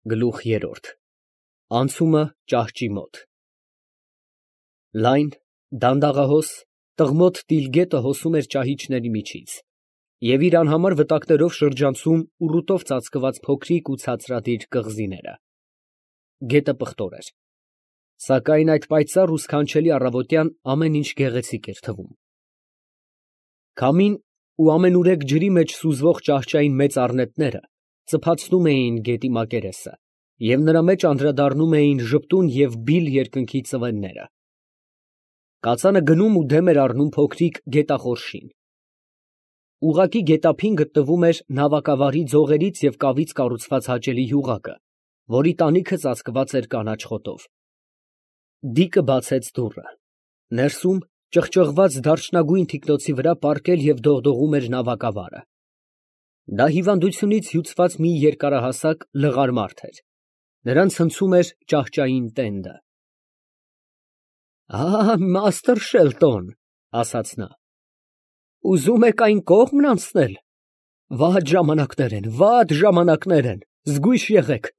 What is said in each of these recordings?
Գլուխ երրորդ Անցումը ճահճի մոտ Լայն, դանդաղահոս, տղմոտ տիլգետը հոսում էր ճահիճների միջից և իր անհամար վտակներով շրջանցում ուռուտով ծածկված փոքրիկ ու ցածրադիր կղզիները։ Գետը պղտոր էր, սակայն այդ պայծառ ու սքանչելի առավոտյան ամեն ինչ գեղեցիկ էր թվում։ Քամին ու ամենուրեք ջրի մեջ սուզվող ճահճային մեծ առնետները ծփացնում էին գետի մակերեսը և նրա մեջ անդրադառնում էին ժպտուն և բիլ երկնքի ծվենները։ Կածանը գնում ու դեմ էր առնում փոքրիկ գետախորշին։ Ուղղակի գետափին գտնվում էր նավակավարի ձողերից և կավից կառուցված հաճելի յուղակը, որի տանիքը ծածկված էր կանաչ խոտով։ Դիկը բացեց դուռը։ Ներսում, ճղճղված դարչնագույն թիկնոցի վրա պառկել և դողդողում էր նավակավարը։ Դա հիվանդությունից հյուծված մի երկարահասակ լղար մարդ էր։ Նրան ցնցում էր ճահճային տենդը։ Մաստր Շելտոն, ասաց նա, ուզում եք այն կողմն անցնել։ Վատ ժամանակներ են, զգույշ եղեք։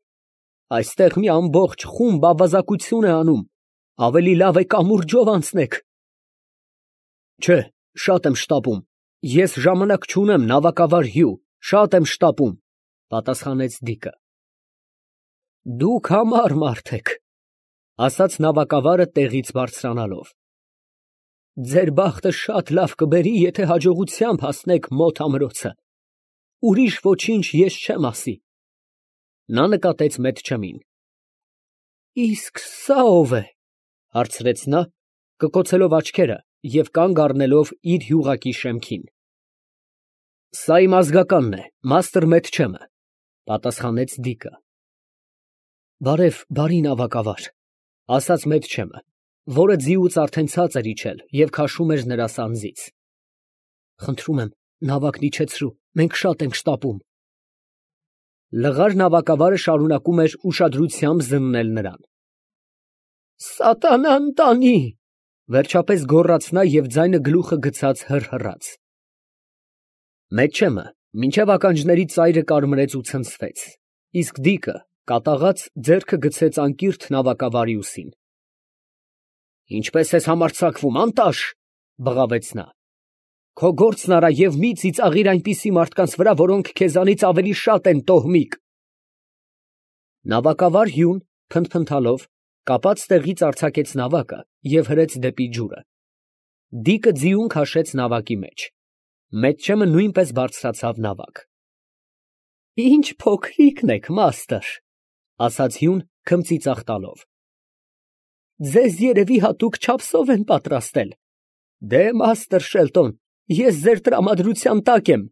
Այստեղ մի ամբողջ խումբ ավազակություն է անում, ավելի լավ է կամուրջով անցնեք։ Չէ, շատ եմ շտապում, ես ժամանակ չունեմ, նավակավար հյու, շատ եմ շտապում, պատասխանեց Դիկը։ Դուք համար մարդ եք, ասաց նավակավարը տեղից բարձրանալով։ Ձեր բախտը շատ լավ կբերի, եթե հաջողությամբ հասնեք մոտ ամրոցը։ Ուրիշ ոչինչ ես չեմ ասի։ Նա նկատեց Մեթչեմին։ Իսկ սա ո՞վ է, հարցրեց նա, կկոցելով աչքերը և կանգ առնելով իր յուղակի շեմքին։ Սա իմ ազգականն է, մաստր Մեթչեմը, պատասխանեց Դիկը։ Բարի նավակավար, ասաց Մեթչեմը, որը ձիուց արդեն ցած էր իջել և քաշում էր նրա սանձից։ Խնդրում եմ, նավակն իջեցրու, մենք շատ ենք շտապում։ Լղար նավակավարը շարունակում էր ուշադրությամբ զննել նրան։ Սատանան տանի, վերջապես գոռաց նա և ձայնը գլուխը գցած հռհռաց։ Մեթչեմը մինչև ականջների ծայրը կարմրեց ու ցնցվեց, իսկ Դիկը, կատաղած, ձեռքը գցեց անկիրթ նավակավարի ուսին։ Ինչպես ես համարձակվում, անտաշ, բղավեց նա։ Քո գործն արա և մի ծիծաղիր այնպիսի մարդկանց վրա, որոնք քեզանից ավելի շատ են տոհմիկ։ Նավակավար հյուն, փնթփնթալով, կապած տեղից արձակեց նավակը և հրեց դեպի ջուրը։ Դիկը ձիուն քաշեց նավակի մեջ։ Մեթչեմը նույնպես բարձրացավ նավակ։ Ինչ փոքրիկն եք, մաստր, ասաց հյուն, քմծիծաղ տալով։ Ձեզ երևի հատուկ չափսով են պատրաստել։ Դե, մաստր Շելտոն, ես ձեր տրամադրության տակ եմ,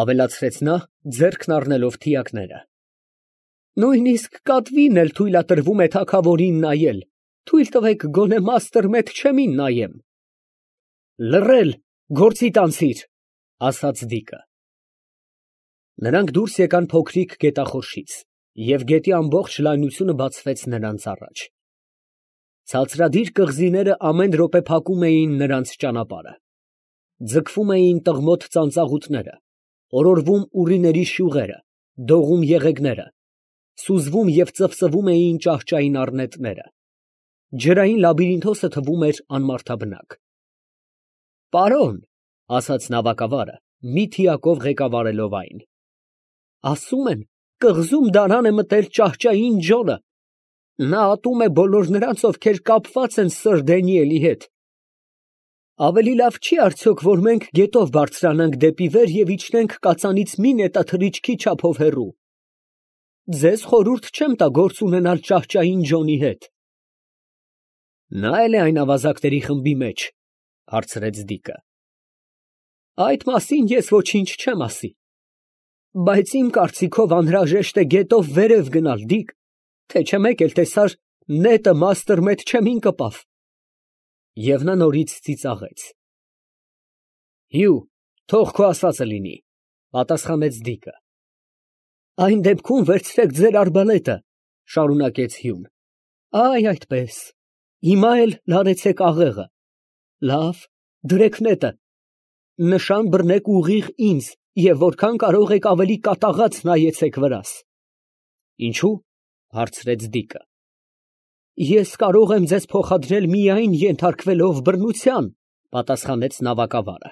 ավելացրեց նա, ձեռքն առնելով թիակները։ Նույնիսկ կատվին էլ թույլատրվում է թագավորին նայել, թույլ տվեք գոնե մաստր Մեթչեմին նայեմ։ Լռել, գործիդ անցիր, ասաց Դիկը։ Նրանք դուրս եկան փոքրիկ գետախորշից, և գետի ամբողջ լայնությունը բացվեց նրանց առաջ։ Ցածրադիր կղզիները ամեն րոպե փակում էին նրանց ճանապարհը։ Ձգվում էին տղմոտ ծանծաղուտները, օրորվում ուռիների շյուղերը, դողում եղեգները, սուզվում և ծվծվում էին ճահճային առնետները։ Ջրային լաբիրինթոսը թվում էր անմարդաբնակ։ Պարոն, ասաց նավակավարը, մի թիակով ղեկավարելով այն, ասում են, կղզում դարան է մտել ճահճային ջորը։ Նա ատում է բոլոր նրանց, ովքեր կապված են սըր Դենիելի հետ։ Ավելի լավ չի արդյոք, որ մենք գետով բարձրանանք դեպի վեր և իջնենք կածանից մի նետաթռիչքի չափով հեռու։ Ձեզ խորհուրդ չեմ տա գործ ունենալ ճահճային ջոնի հետ։ Նա էլ է այն ավազակների խմբի մեջ, հարցրեց Դիկը։ Այդ մասին ես ոչինչ չեմ ասի։ Բայց իմ կարծիքով անհրաժեշտ է գետով վերև գնալ, Դիկ, թե չէ մեկ էլ տեսար նետը մաստր Մեթչեմին կպավ։ Եվ նա նորից ծիծաղեց։ Հյու, թող քո ասածը լինի, պատասխանեց Դիկը։ Այն դեպքում վերցրեք ձեր արբալետը, շարունակեց հյուն։ Այ այդպես, հիմա էլ լարեցեք աղեղը։ Լավ, դրեք նետը։ Նշան բռնեք ուղիղ ինձ և որքան կարող եք ավելի կատաղած նայեցեք վրաս։ Ինչու՞, հարցրեց Դիկը։ Ես կարող եմ ձեզ փոխադրել միայն ենթարկվելով բռնության, պատասխանեց նավակավարը։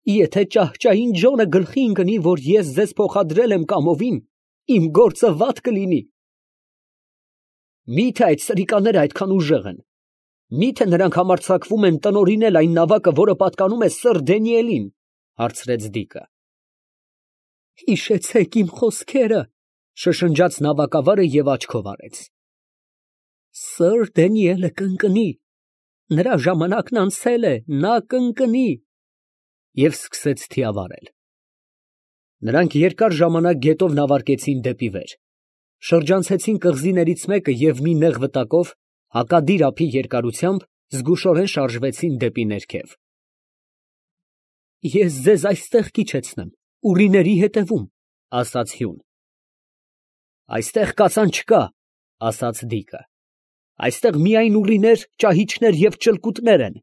Եթե ճահճային Ջոնը գլխի ընկնի, որ ես ձեզ փոխադրել եմ կամովին, իմ գործը վատ կլինի։ Միթե այդ սրիկաները այդքան ուժեղ են։ Միթե նրանք համարձակվում են տնօրինել այն նավակը, որը պատկանում է սըր Դենիելին, հարցրեց Դիկը։ Հիշեցեք իմ խոսքերը, շշնջաց նավակավարը և աչքով արեց։ Սըր Դենիելը կընկնի, նրա ժամանակն անցել է, նա կընկնի։ Եվ սկսեց թիավարել։ Նրանք երկար ժամանակ գետով նավարկեցին դեպի վեր, շրջանցեցին կղզիներից մեկը և մի նեղ վտակով, հակադիր ափի երկարությամբ, զգուշորեն շարժվեցին դեպի ներքև։ Ես ձեզ այստեղ կիջեցնեմ, ուռիների հետևում, ասաց Հյուն։ Այստեղ կացան չկա, ասաց Դիկը։ Այստեղ միայն ուռիներ, ճահիճներ և ճլկուտներ են։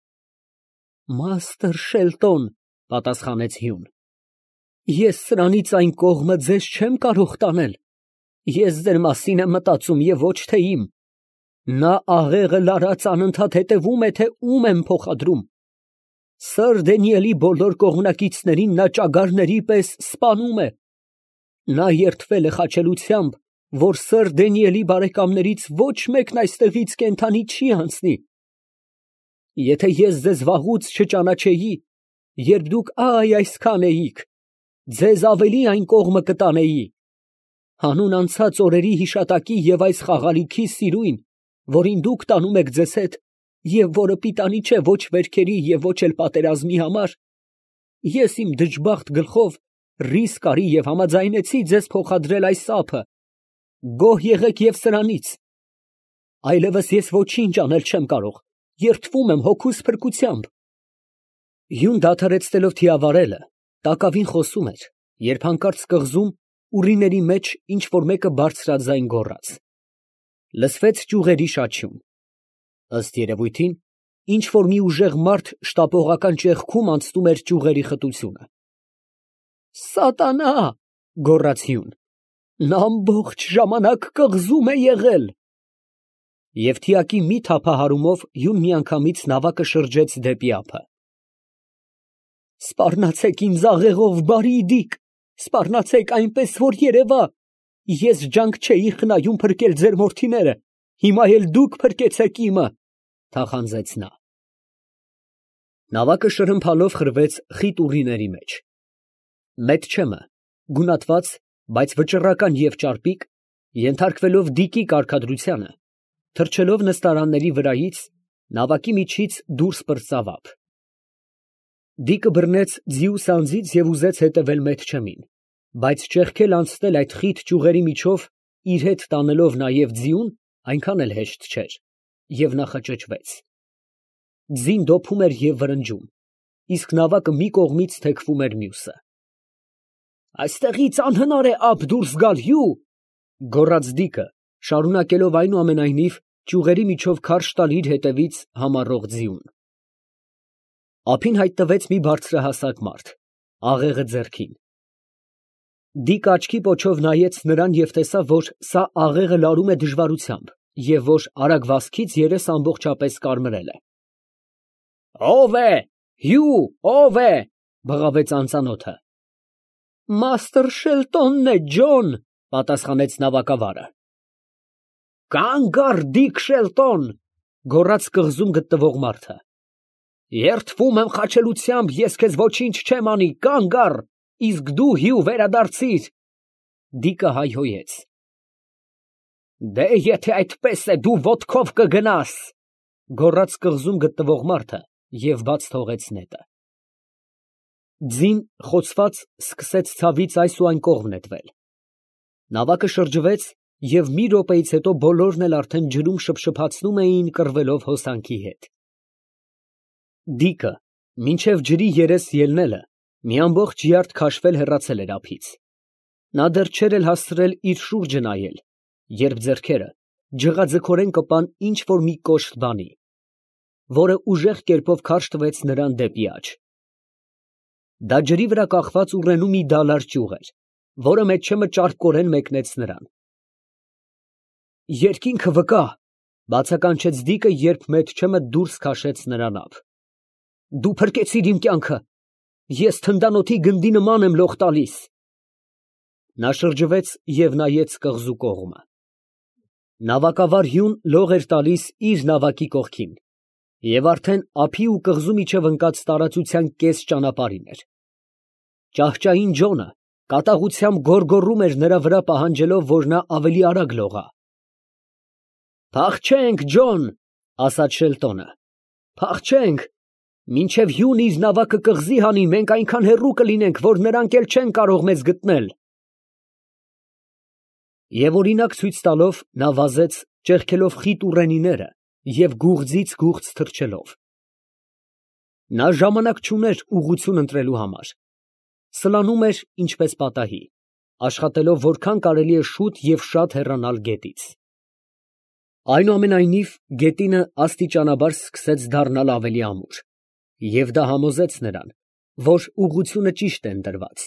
Մաստր Շելտոն, պատասխանեց Հյուն։ Ես սրանից այն կողմը ձեզ չեմ կարող տանել։ Ես ձեր մասին եմ մտածում և ոչ թե իմ։ Նա աղեղը լարած անընդհատ հետևում է, թե ում եմ փոխադրում։ Սըր Դենիելի բոլոր կողմնակիցներին նա ճագարների պես սպանում է։ Նա երդվել է խաչելությամբ, որ սըր Դենիելի բարեկամներից ոչ մեկն այստեղից կենդանի չի անցնի։ Եթե ես ձեզ վաղուց չճանաչեի, երբ դուք այսքան էիք, ձեզ ավելի այն կողմը կտանեի։ Հանուն անցած օրերի հիշատակի և այս խաղալիքի սիրույն, որին դուք տանում եք ձեզ հետ, և որը պիտանի չէ ոչ վերքերի և ոչ էլ պատերազմի համար, ես իմ դժբախտ գլխով ռիսկ արի և համաձայնեցի ձեզ փոխադրել այս ափը։ Գոհ եղեք և սրանից։ Այլևս ես ոչինչ անել չեմ կարող, երդվում եմ հոգուս փրկությամբ։ Հյուն դադարեցնելով թիավարելը, տակավին խոսում էր, երբ հանկարծ կղզում, ուռիների մեջ ինչ որ մեկը բարձրաձայն գոռաց։ Լսվեց ճյուղերի շաչյուն։ Ըստ երևույթին, ինչ որ մի ուժեղ մարդ շտապողական ճեղքում անցնում էր ճյուղերի խտությունը։ Սատանա, գոռաց Հյուն, նա ամբողջ ժամանակ կղզում է եղել։ Եվ թիակի մի թափահարումով Հյուն միանգամից նավակը շրջեց դեպի ափը։ Սպառնացեք ինձ աղեղով, բարի Դիկ, սպառնացեք այնպես, որ երևա։ Ես ջանք չէի խնայում փրկել ձեր որդիները, հիմա էլ դուք փրկեցեք իմը, թախանձեց նա։ Նավակը շրմփալով խրվեց խիտ ուռիների մեջ։ Մեթչեմը, գունատված, բայց վճռական և ճարպիկ, ենթարկվելով Դիկի կարգադրությանը, թռչելով նստարանների վրայից, նավակի միջից դուրս պրծավ ափ։ Դիկը բռնեց ձիուս անձից և ուզեց հետևել Մեթչեմին, բայց ճեղքել անցնել այդ խիտ ճյուղերի միջով, իր հետ տանելով նաև ձիուն, այնքան էլ հեշտ չէր, և նա խճճվեց։ Ձին դոփում էր և վրնջում, իսկ նավակը մի կողմից թեքվում էր մյուսը։ Այստեղից անհնար է ափ դուրս գալ, Հյու, գոռաց Դիկը, շարունակելով այնուամենայնիվ ճյուղերի միջով քարշ տալ իր հետևից համառող ձիուն։ Ափին հայտնվեց մի բարձրահասակ մարդ, աղեղը ձեռքին։ Դիկը աչքի պոչով նայեց նրան և տեսավ, որ սա աղեղը լարում է դժվարությամբ և որ արագ վազքից երեսը ամբողջապես կարմրել է։ Ո՞վ է, Հյու, ո՞վ է, բղավեց անծանոթը։ Մաստր Շելտոնն է, Ջոն, պատասխանեց նավակավարը։ Կանգ առ, Դիկ Շելտոն, գոռաց կղզում գտնվող մարդը։ Երդվում եմ խաչելությամբ, ես քեզ ոչինչ չեմ անի, կանգ առ, իսկ դու, Հյու, վերադարձիր։ Դիկը հայհոյեց։ Դե եթե այդպես է, դու ոտքով կգնաս, գոռաց կղզում գտնվող մարդը և բաց թողեց նետը։ Ձին խոցված սկսեց ցավից այս ու այն կողմ նետվել։ Նավակը շրջվեց և մի րոպեից հետո բոլորն էլ արդեն ջրում շփշփացնում էին կռվելով հոսանքի հետ։ Դիկը, մինչև ջրի երես ելնելը, մի ամբողջ յարդ քաշվել հեռացել էր ափից։ Նա դեռ չէր էլ հասցրել իր շուրջը նայել, երբ ձեռքերը ջղաձգորեն կպան ինչ որ մի կոշտ բանի, որը ուժեղ կերպով քարշ տվեց նրան դեպի աջ։ Դա ջրի վրա կախված ուռենու մի դալար ճյուղ էր, որը Մեթչեմը ճարպկորեն մեկնեց նրան։ Երկինքը վկա, բացականչեց Դիկը, երբ Մեթչեմը դուրս քաշեց նրա նավ։ Դու փրկեցիր իմ կյանքը, ես թնդանոթի գնդի նման եմ լող տալիս։ Նա շրջվեց և նայեց կղզու կողմը։ Նավակավար հյուն լող էր տալիս իր նավակի կողքին, և արդեն ափի ու կղզու միջև ընկած տարածության կես ճանապարհին էր։ Ճահճային Ջոնը կատաղությամբ գոռգոռում էր նրա վրա, պահանջելով, որ նա ավելի արագ լողա։ «Փախչենք, Ջոն», ասաց Շելտոնը, «փախչենք, մինչև հյուն իր նավակը կղզի հանի, մենք այնքան հեռու կլինենք, որ նրանք էլ չեն կարող մեզ գտնել»։ Եվ օրինակ ցույց տալով, նա վազեց, ճեղքելով խիտ ուռենիները և գուղձից գուղձ թռչելով։ Նա ժամանակ չուներ ուղղություն ընտրելու համար։ Սլանում էր ինչպես պատահի, աշխատելով որքան կարելի է շուտ և շատ հեռանալ գետից։ Այնուամենայնիվ, գետինը աստիճանաբար սկսեց դառնալ ավելի ամուր, և դա համոզեց նրան, որ ուղղությունը ճիշտ է ընտրված։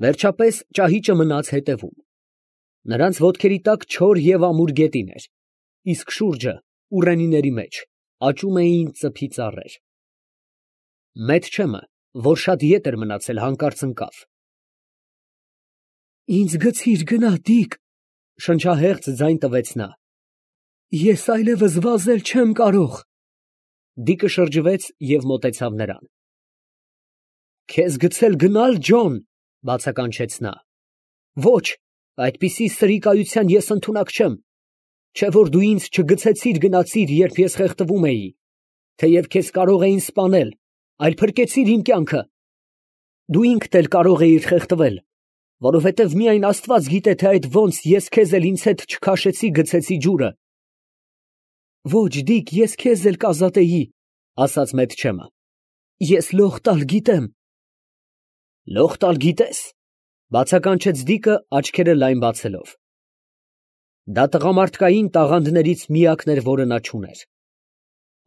Վերջապես ճահիճը մնաց հետևում։ Նրանց ոտքերի տակ չոր և ամուր գետին էր, իսկ շուրջը, ուռենիների մեջ, աճում էին ծփի ծառեր։ Մեթչեմը, որ շատ ետ էր մնացել, հանկարծ ընկավ։ «Ինձ գցիր գնա, Դիկ», շնչահեղձ ձայն տվեց նա։ «Ես այլևս վազել չեմ կարող»։ Դիկը շրջվեց և մոտեցավ նրան։ «Քեզ գցել գնալ, Ջոն», բացականչեց նա։ «Ոչ, այդպիսի սրիկայության ես ընդունակ չեմ, չէ՞ որ դու ինձ չգցեցիր գնացիր, երբ ես խեղդվում էի, թեև քեզ կարող էին սպանել, այլ փրկեցիր իմ կյանքը։ Դու ինքդ էլ կարող էիր խեղդվել, որովհետև միայն Աստված գիտե, թե այդ ոնց ես քեզ էլ ինձ հետ չքաշեցի գցեցի ջուրը»։ «Ոչ, Դիկ, ես քեզ էլ կազատեի», ասաց Մեթչեմը։ «Ես լող տալ գիտեմ»։ «Լող տալ գիտես», բացականչեց Դիկը, աչքերը լայն բացելով։ Դա տղամարդկային տաղանդներից միակն էր, որը նա չուներ։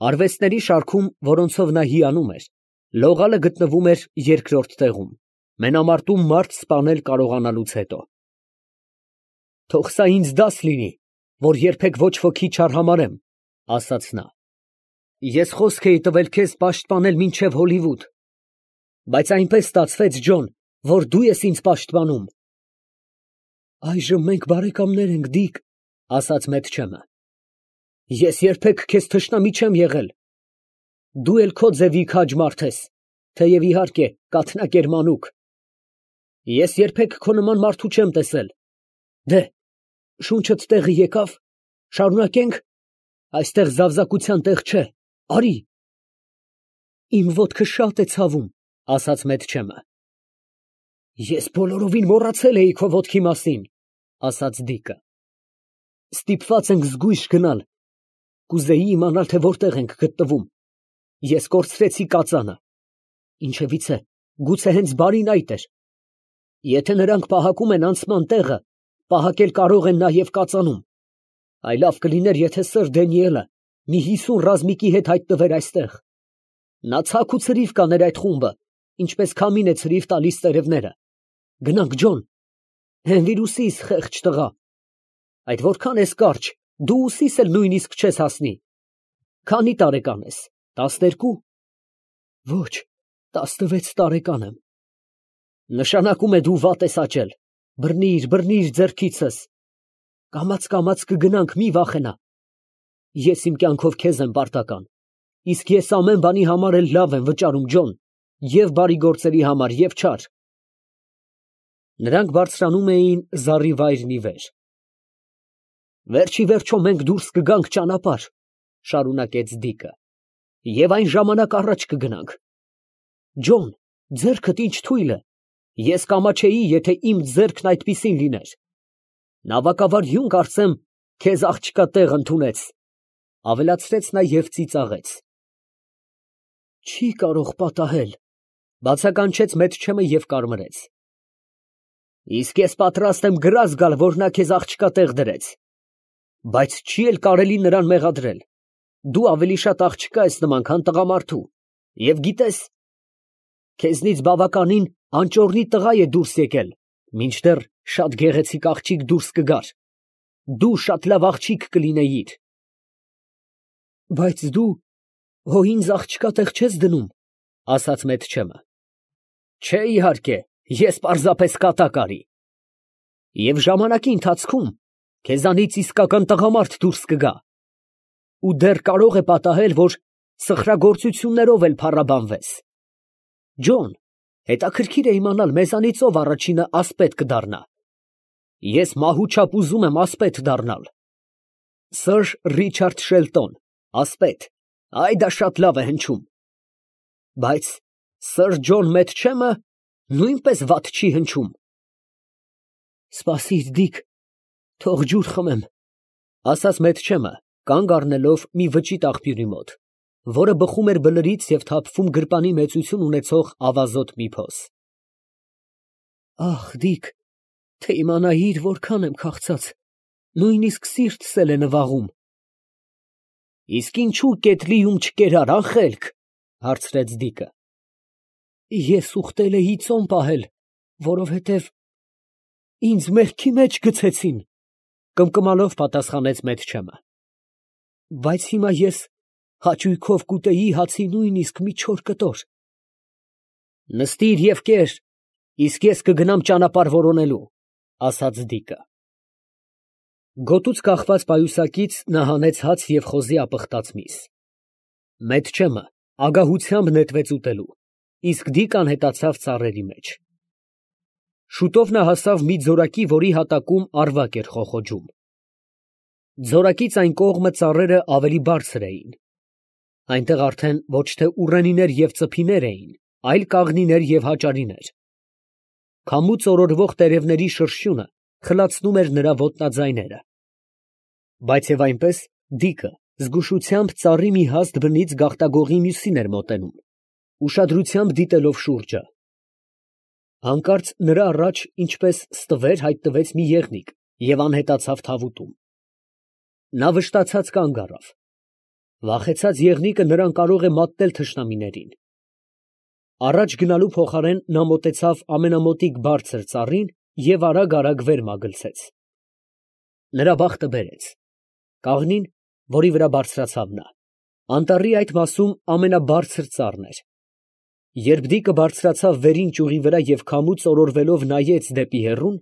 Արվեստների շարքում, որոնցով նա հիանում էր, լողալը գտնվում էր երկրորդ տեղում, մենամարտում մարդ սպանել կարողանալուց հետո։ «Թող սա ինձ դաս լինի, որ երբեք ոչ ոքի չարհամարհեմ», ասաց նա։ «Ես խոսք էի տվել քեզ պաշտպանել մինչև Հոլիվուդ, բայց այնպես ստացվեց, Ջոն, որ դու ես ինձ պաշտպանում»։ «Այժմ մենք բարեկամներ ենք, Դիկ», ասաց Մեթչեմը։ «Ես երբեք քեզ թշնամի չեմ եղել։ Դու էլ քո ձևի քաջ մարդ ես, թեև իհարկե կաթնակ էր մանուկ։ Ես երբեք քո նման մարդու չեմ տեսել։ Դե, շունչդ տեղը եկավ, շարունակե՞նք։ Այստեղ զավզակության տեղ չէ, արի»։ «Իմ ոտքը շատ է ցավում», ասաց Մեթչեմը։ «Ես բոլորովին մոռացել էի քո ոտքի մասին», ասաց Դիկը։ «Ստիպված ենք զգույշ գնալ, կուզեի իմանալ, թե որտեղ ենք գտնվում։ Ես կորցրեցի կածանը, ինչևիցե, գուցե հենց բարին այդ էր։ Եթե նրանք պահակում են անցման տեղը, պահակել կարող են նաև կածանում։ Այ լավ կլիներ, եթե սըր Դենիելը մի 50 ռազմիկի հետ հայտնվեր այստեղ։ Նա ցաք ու ցրիվ կաներ այդ խումբը, ինչպես քամին է ցրիվ տալիս տերևները։ Գնանք, Ջոն։ Հենվիր ուսիս, խեղճ տղա։ Այդ որքան ես կարճ, դու ուսիս էլ նույնիսկ չես հասնի։ Քանի տարեկան ես, 12։ Ոչ, 16 տարեկան եմ։ Նշանակում է դու վատ ես աճել։ Բռնիր, բռնիր ձեռքիցս։ Կամաց կգնանք, մի վախենա։ Ես իմ կյանքով քեզ եմ պարտական, իսկ ես ամեն բանի համար էլ լավ եմ վճարում, Ջոն, և բարի գործերի համար, և չար։ Նրանք բարձրանում էին զառիվայրն ի վեր։ Վերջիվերջո մենք դուրս կգանք ճանապարհ, շարունակեց Դիկը, և այն ժամանակ առաջ կգնանք։ Ջոն, ձեռքդ ինչ թույլ է, ես կամաչեի, եթե իմ ձեռքն այդպիսին լիներ։ Նավակավար հյուն, կարծեմ, քեզ աղջկա տեղ ընդունեց, ավելացրեց նա և ծիծաղեց։ Չի կարող պատահել, բացականչեց Մեթչեմը և կարմրեց։ Իսկ ես պատրաստ եմ գրազ գալ, որ նա քեզ աղջկա տեղ դրեց, բայց չի էլ կարելի նրան մեղադրել։ Դու ավելի շատ աղջկա ես նման, քան տղամարդու, և գիտես, քեզնից բավականին անճոռնի տղա է դուրս եկել, մինչդեռ շատ գեղեցիկ աղջիկ դուրս կգար։ Դու շատ լավ աղջիկ կլինեիր։ Բայց դու հո ինձ աղջկա տեղ չես դնում, ասաց Մեթչեմը։ Չէ, իհարկե, ես պարզապես կատակ արի։ Եվ ժամանակի ընթացքում քեզանից իսկական տղամարդ դուրս կգա։ Ու դեռ կարող է պատահել, որ սխրագործություններով էլ փառաբանվես։ Ջոն, հետաքրքիր է իմանալ, մեզանից ով առաջինը ասպետ կդառնա։ Ես մահու չափ ուզում եմ ասպետ դառնալ։ Սըր Ռիչարդ Շելտոն, ասպետ, այ դա շատ լավ է հնչում։ Բայց սըր Ջոն Մեթչեմը նույնպես վատ չի հնչում։ Սպասիր, Դիք, թող ջուր խմեմ, ասաց Մեթչեմը, կանգ առնելով մի վճիտ աղբյուրի մոտ, որը բխում էր բլրից և թափվում գրպանի մեծություն ունեցող ավազոտ մի փոս։ Ախ, Դիք, թե իմանայիր որքան եմ քաղցած, նույնիսկ սիրտս էլ է նվաղում։ Իսկ ինչու կետլիում չկերար, անխելք, հարցրեց Դիկը։ Ես ուխտել էի ծոմ պահել, որովհետև ինձ մեղքի մեջ գցեցին, կմկմալով պատասխանեց Մեթչեմը։ Բայց հիմա ես հաճույքով կուտեի հացի նույնիսկ մի չոր կտոր։ Նստիր և կեր, իսկ ես կգնամ ճանապարհ որոնելու, ասաց Դիկը։ Գոտուց կախված պայուսակից նա հանեց հաց և խոզի ապխտած միս։ Մեթչեմը ագահությամբ նետվեց ուտելու, իսկ Դիկան հետացավ ծառերի մեջ։ Շուտով նա հասավ մի ձորակի, որի հատակում ավարակ էր խոխոջում։ Ձորակից այն կողմը ծառերը ավելի բարձր էին։ Այնտեղ արդեն ոչ թե ուռենիներ և ծփիներ էին, այլ կաղնիներ և հաճարիներ։ Քամուց օրորվող տերևների շրշյունը խլացնում էր նրա ոտնաձայները։ Բայց և այնպես Դիկը զգուշությամբ ծառի մի հաստ բնից գաղտագողի մյուսին էր մոտենում, ուշադրությամբ դիտելով շուրջը։ Հանկարծ նրա առաջ, ինչպես ստվեր, հայտնվեց մի եղնիկ և անհետացավ թավուտում։ Նա վշտացած կանգ առավ։ Վախեցած եղնիկը նրան կարող է մատնել թշնամիներին։ Առաջ գնալու փոխարեն նա մոտեցավ ամենամոտիկ բարձր ծառին և արագ վեր մագլցեց։ Նրա բախտը բերեց։ Կաղնին, որի վրա բարձրացավ նա, անտառի այդ մասում ամենաբարձր ծառն էր։ Երբ Դիկը բարձրացավ վերին ճյուղի վրա և քամուց օրորվելով նայեց դեպի հեռուն,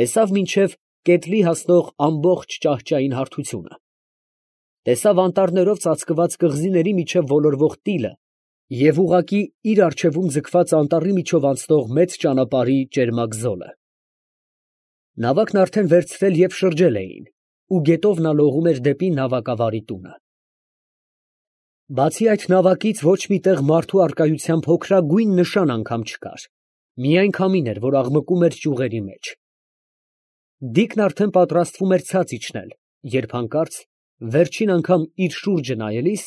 տեսավ մինչև կետլի հասնող ամբողջ ճահճային հարթությունը։ Տեսավ անտառներով ծածկված կղզիների միջև ոլորվող տիլը և ուղղակի իր առջևում ձգված անտառի միջով անցնող մեծ ճանապարհի ճերմակ զոլը։ Նավակն արդեն վերցրել և շրջել էին, ու գետով նա լողում էր դեպի նավակավարի տունը։ Բացի այդ նավակից ոչ մի տեղ մարդու առկայության փոքրագույն նշան անգամ չկար, միայն քամին էր, որ աղմկում էր ճյուղերի մեջ։ Դիկն արդեն պատրաստվում էր ցած իջնել, երբ հանկարծ, վերջին անգամ իր շուրջը նայելիս,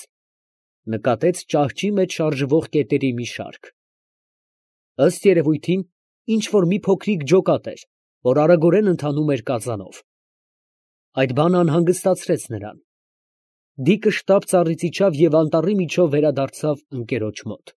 նկատեց ճահճի մեջ շարժվող կետերի մի շարք։ Ըստ երևույթին, ինչ֊որ մի փոքրիկ ջոկատ էր, որ արագորեն ընթանում էր կածանով։ Այդ բանը անհանգստացրեց նրան։ Դիկը շտապ ծառից իջավ և անտառի միջով վերադարձավ ընկերոջ մոտ։